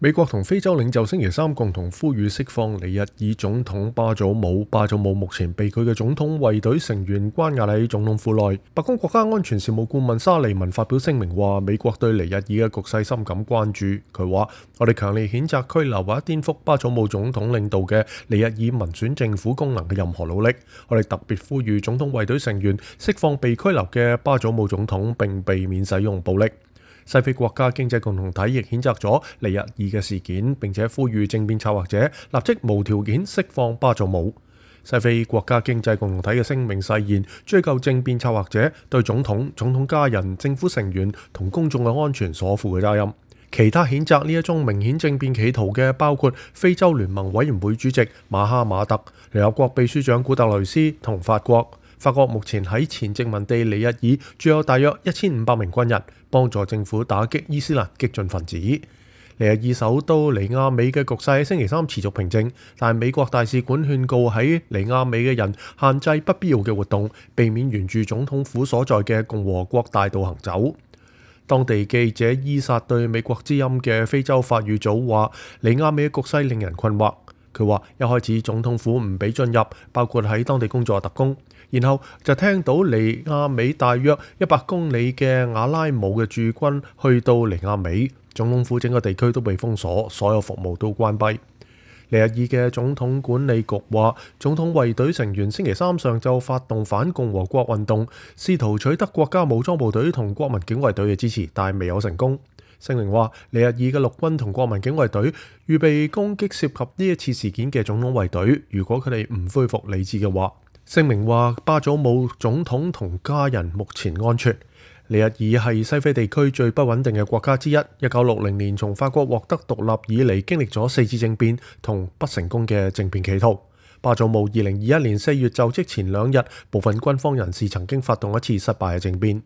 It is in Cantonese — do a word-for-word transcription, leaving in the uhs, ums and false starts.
美國同非洲領袖星期三共同呼籲釋放尼日爾總統巴祖姆。巴祖姆目前被佢嘅總統衛隊成員關押喺總統府內。白宮國家安全事務顧問沙利文發表聲明話，美國對尼日爾嘅局勢深感關注。佢話：我哋強烈譴責拘留或者顛覆巴祖姆總統領導嘅尼日爾民選政府功能嘅任何努力。我哋特別呼籲總統衛隊成員釋放被拘留嘅巴祖姆總統，並避免使用暴力。西非國家經濟共同體亦譴責咗尼日爾嘅事件，並且呼籲政變策劃者立即無條件釋放巴祖姆。西非國家經濟共同體嘅聲明誓言追究政變策劃者對總統、總統家人、政府成員同公眾嘅安全所負嘅責任。其他譴責呢一宗明顯政變企圖嘅包括非洲聯盟委員會主席馬哈馬特、聯合國秘書長古特雷斯同法國。法國目前喺前殖民地尼日爾駐有大約一千五百名軍人，幫助政府打擊伊斯蘭激進分子。尼日爾首都尼亞美嘅局勢喺星期三持續平靜，但美國大使館勸告喺尼亞美嘅人限制不必要嘅活動，避免沿住總統府所在嘅共和國大道行走。當地記者伊薩對美國之音嘅非洲法語組話：尼亞美嘅局勢令人困惑。佢話一開始總統府唔俾進入，包括喺當地工作嘅特工，然後就聽到尼亞美大約一百公里嘅瓦拉姆嘅駐軍去到尼亞美，總統府整個地區都被封鎖，所有服務都關閉。尼日爾嘅總統管理局話，總統衛隊成員星期三上晝發動反共和國運動，試圖取得國家武裝部隊同國民警衛隊嘅支持，但未有成功。聲明話，尼日爾嘅陸軍同國民警衛隊預備攻擊涉及呢一次事件嘅總統衛隊，如果佢哋唔恢復理智嘅話。聲明話，巴祖姆總統同家人目前安全。尼日爾係西非地區最不穩定嘅國家之一。一九六零年從法國獲得獨立以嚟，經歷咗四次政變同不成功嘅政變企圖。巴祖姆二零二一年四月就職前兩日，部分軍方人士曾經發動一次失敗嘅政變。